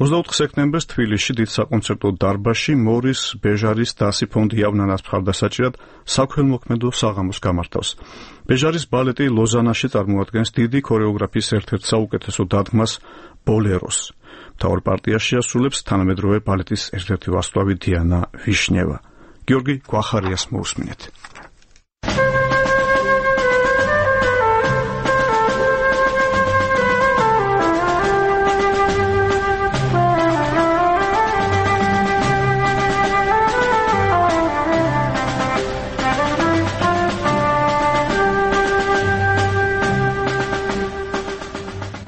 24 სექტემბერს თბილისში დიდ საკონცერტო დარბაზში მორის ბეჟარის დასი ფონდი იავნანას მხარდასაჭირად საქველმოქმედო საღამოს გამართავს. ბეჟარის ბალეტი ლოზანაში წარმოადგენს დიდი ქორეოგრაფიის ერთ-ერთ საუკეთესო დადგმას ბოლეროს. მთავარ პარტიაში ასრულებს თანამედროვე ბალეტის ერთ-ერთი ვარსკვლავი დიანა ვიშნევა. გიორგი გვახარიას მოусმინეთ.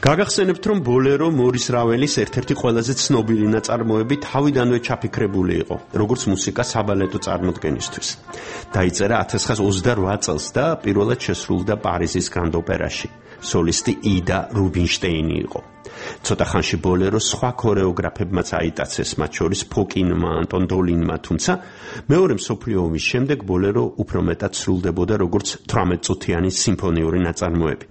გაგახსენებთ, რომ ბოლერო მორის რაველის ერთ-ერთი ყველაზე ცნობილი ნაწარმოები თავიდანვე ჩაფიქრებული იყო, როგორც მუსიკა საბალეტო წარმოდგენისთვის. დაიწერა 1928 წელს და პირველად შესრულდა პარიზის გრანდ ოპერაში. სოლისტი იდა რუბინშტეინი იყო. ცოტა ხანში ბოლერო სხვა ქორეოგრაფებმაც აიტაცეს, მათ შორის ფოკინმა, ანტონ დოლინმა, თუმცა მეორე მსოფლიო ომის შემდეგ ბოლერო უფრო მეტად სრულდებოდა როგორც 18-წუთიანი სიმფონიური ნაწარმოები.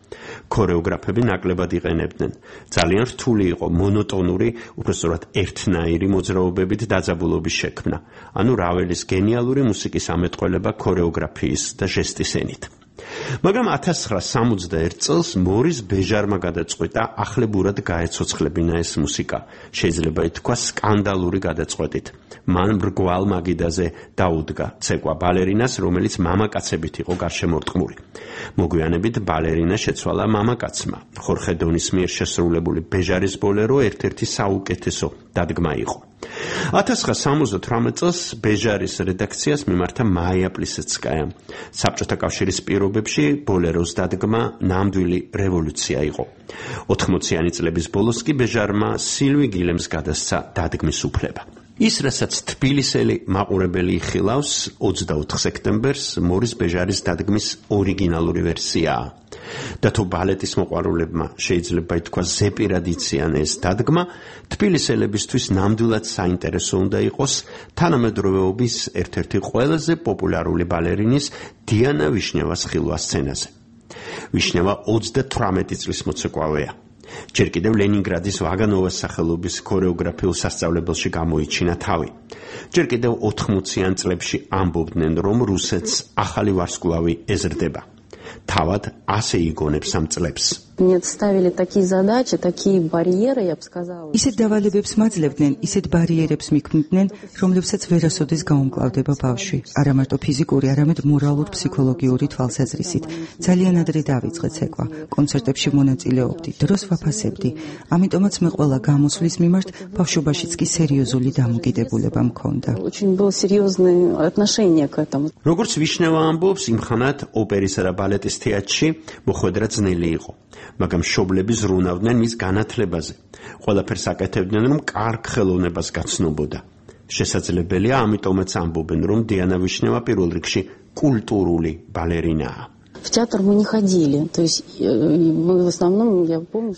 ქორეოგრაფები ნაკლებად იყენებდნენ. ძალიან რთული იყო მონოტონური, უბრალოდ ერთნაირი მოძრაობებით დაძაბულობის შექმნა, ანუ რაველის გენიალური მუსიკის ამეტყველება ქორეოგრაფიის და ჟესტის ენით. მაგრამ 1961 წელს მორის ბეჟარმა გადაწყვეტა ახლებურად გაეცოცხლებინა ეს მუსიკა, შეიძლება ითქვას სკანდალური გადაწყვეტით. მან მრგვალ მაგიდაზე დაუდგა ცეკვა ბალერინას, რომელიც მამაკაცებით იყო გარშემორტყმული. მოგვიანებით ბალერინა შეცვალა მამაკაცმა. ხორხე დონის მიერ შესრულებული ბეჟარის ბოლერო ერთ-ერთი საუკეთესო დადგმა იყო. 1978 წელს ბეჟარის რედაქციას მიმართა მაია პლისეცკაია. საბჭოთა კავშირის პირობებში ბოლეროს დადგმა ნამდვილი რევოლუცია იყო. 80-იანი წლების ბოლოს კი ბეჟარმა სილვი გილემს გადასცა დადგმის უფლება. ის, რასაც თბილისელი მაყურებელი იხილავს, 24 სექტემბერს მორის ბეჟარის დადგმის ორიგინალური ვერსიაა. და თუ ბალეტის მოყვარულებმა შეიძლება ითქვას ზეპირად იციან ეს დადგმა, თბილისელებისთვის ნამდვილად საინტერესო უნდა იყოს თანამედროვეობის ერთ-ერთი ყველაზე პოპულარული ბალერინის დიანა ვიშნევას ხილვა სცენაზე. ვიშნევა 38 წლის მოცეკვავეა. ჯერ კიდევ ლენინგრადის ვაგანოვას სახელობის ქორეოგრაფიულ სასწავლებელში გამოიჩინა თავი. ჯერ კიდევ 80-იან წლებში ამბობდნენ, რომ რუსეთს ახალი ვარსკვლავი ეზრდება. თავად ასე იგონებს ამ წლებს. ისეთ დავალებებს მაძლევდნენ, ისეთ ბარიერებს მიქმნიდნენ, რომლებსაც ვერასოდეს გაუმკლავდება ბავშვი, არა მარტო ფიზიკური, არამედ მორალურ-ფსიქოლოგიური თვალსაზრისით. ძალიან ადრე დავიწყე ცეკვა, კონცერტებში მონაწილეობდი, დროს ვაფასებდი. ამიტომაც მე ყველა გამოსვლის მიმართ ბავშვობაშიც კი სერიოზული დამოკიდებულება მქონდა. როგორც ვიშნევა ამბობს, იმხანად ოპერისა და ბალეტის თეატრში მოხვედრა ძნელი იყო. მაგრამ მშობლები ზრუნავდნენ მის განათლებაზე. ყველაფერს აკეთებდნენ, რომ კარგ ხელოვნებას გაცნობოდა. შესაძლებელია, ამიტომაც ამბობენ, რომ დიანა ვიშნევა პირველ რიგში კულტურული ბალერინაა.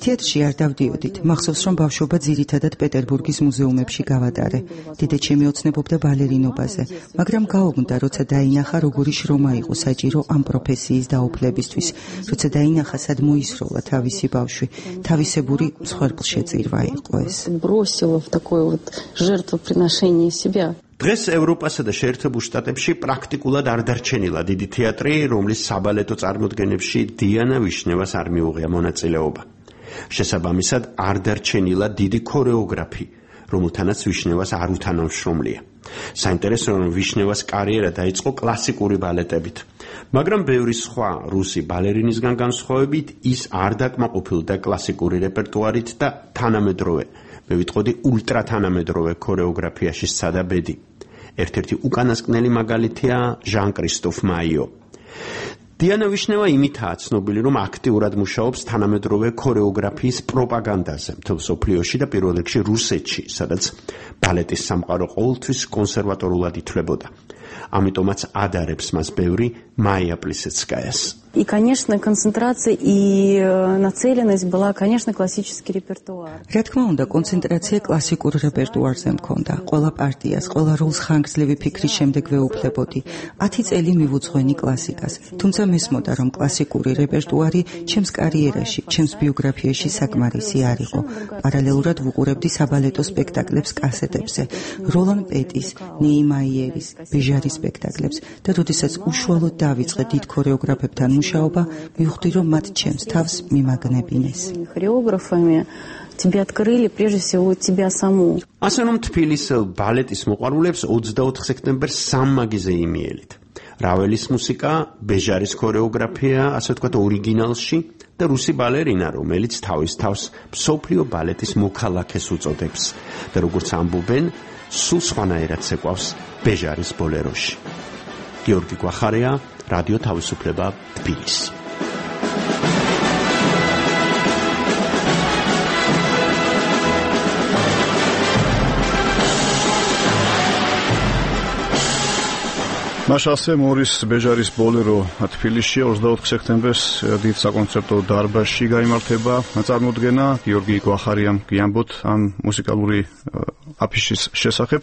თეატრში არ დავდიოდით. მახსოვს, რომ ბავშვობა ძირითადად პეტერბურგის მუზეუმებში გავატარე. დედაჩემი ოცნებობდა ბალერინობაზე, მაგრამ გაუგნდა, როცა დაინახა, როგორი შრომა იყო საჭირო ამ პროფესიის დაუფლებისთვის, როცა დაინახა, სად მოისროლა თავისი ბავშვი. თავისებური მსხვერპლშეწირვა იყო ეს. დღეს ევროპასა და შეერთებულ შტატებში პრაქტიკულად არ დარჩენილა დიდი თეატრი, რომლის საბალეტო წარმოდგენებში დიანა ვიშნევას არ მიუღია მონაწილეობა. შესაბამისად, არ დარჩენილა დიდი ქორეოგრაფი, რომელთანაც ვიშნევას არ უთანამშრომლია. საინტერესოა, რომ ვიშნევას კარიერა დაიწყო კლასიკური ბალეტებით, მაგრამ ბევრი სხვა რუსი ბალერინისგან განსხვავებით ის არ დაკმაყოფილდა კლასიკური რეპერტუარით და თანამედროვე, მე ვიტყოდი ულტრათანამედროვე ქორეოგრაფიაში სცადა ბედი. ერთ-ერთი უკანასკნელი მაგალითია ჟან-კრისტოფ მაიო. დიანა ვიშნევა იმითაა ცნობილი, რომ აქტიურად მუშაობს თანამედროვე ქორეოგრაფიის პროპაგანდაზე მთელ მსოფლიოში და პირველ რიგში რუსეთში, სადაც ბალეტის სამყარო ყოველთვის კონსერვატორულად ითვლებოდა. ამიტომაც ადარებს მას ბევრი მაია პლისეცკაიას. И, конечно, концентрация и нацеленность была, конечно, классический репертуар. რა თქმა უნდა, კონცენტრაცია კლასიკურ რეპერტუარზე მქონდა. ყველა პარტიას, ყველა როლს ხანგრძლივი ფიქრის შემდეგ ვეუფლებოდი. 10 წელი მივუძღვენი კლასიკას. თუმცა მესმოდა, რომ კლასიკური რეპერტუარი ჩემს კარიერაში, ჩემს ბიოგრაფიაში საკმარისი არ იყო. პარალელურად ვუყურებდი საბალეტო სპექტაკლებს კასეტებზე, როლან პეტის, ნეიმაიერის, ბეჟარის სპექტაკლებს და როდესაც უშუალოდ დავიწყე დიდ ქორეოგრაფებთან მუშაობა, მივხვდი, რომ მათ ჩემს თავს მიმაგნებინეს. Хореографами тебе открыли прежде всего тебя саму. ასე რომ თბილის ბალეტის მოყვარულებს 24 სექტემბერს სამმაგიზე იმიელით. რაველის მუსიკა, ბეჟარის ქორეოგრაფია, ასე ვთქვათ, ორიგინალში და რუსი ბალერინა, რომელიც თავის თავს მსოფლიო ბალეტის მოქალაქეს უწოდებს და როგორც ამბობენ, სულ სხვანაირად ცეკვავს ბეჟარის ბოლეროში. გიორგი გვახარია, რადიო თავისუფლება, თბილისი. მაშასე მორის ბეჟარის ბოლერო თბილისში 24 სექტემბერს დიდ საკონცერტო დარბაზში გაიმართება წარმოდგენა. გიორგი გვახარიამ გიამბოთ ამ მუსიკალური აფიშის შესახებ.